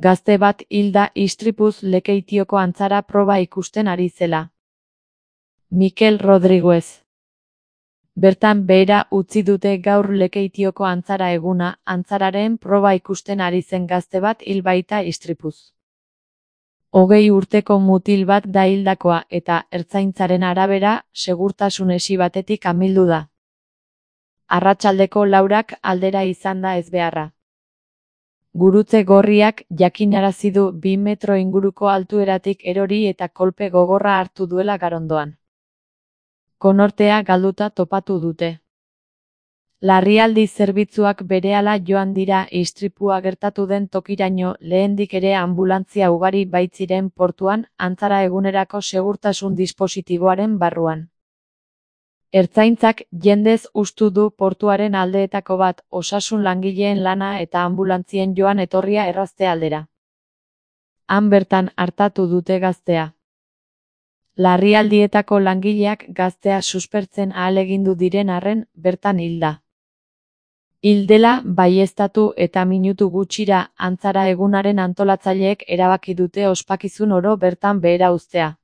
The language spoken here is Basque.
Gazte bat hil da istripuz Lekeitioko antzara proba ikusten ari zela. Mikel Rodriguez. Bertan behera utzi dute gaur Lekeitioko antzara eguna, antzararen proba ikusten ari zen gazte bat hil baita istripuz. 20 urteko mutil bat da hildakoa eta, ertzaintzaren arabera, segurtasun esi batetik amildu da. Arratsaldeko 4 aldera izan da ezbeharra. Gurutze Gorriak jakinarazi du 2 metro inguruko altueratik erori eta kolpe gogorra hartu duela Garondoan. Konortea galduta topatu dute. Larrialdi zerbitzuak berehala joan dira istripua gertatu den tokiraino, lehendik ere anbulantzia ugari baitziren portuan, antzara egunerako segurtasun dispositiboaren barruan. Ertzaintzak jendez hustu du portuaren aldeetako bat, osasun langileen lana eta anbulantzien joan etorria errazte aldera. Han bertan artatu dute gaztea. Larrialdietako langileak gaztea suspertzen ahalegindu diren arren, bertan hilda. Hil dela baieztatu eta minutu gutxira, antzara egunaren antolatzaileek erabaki dute ospakizun oro bertan behera uztea.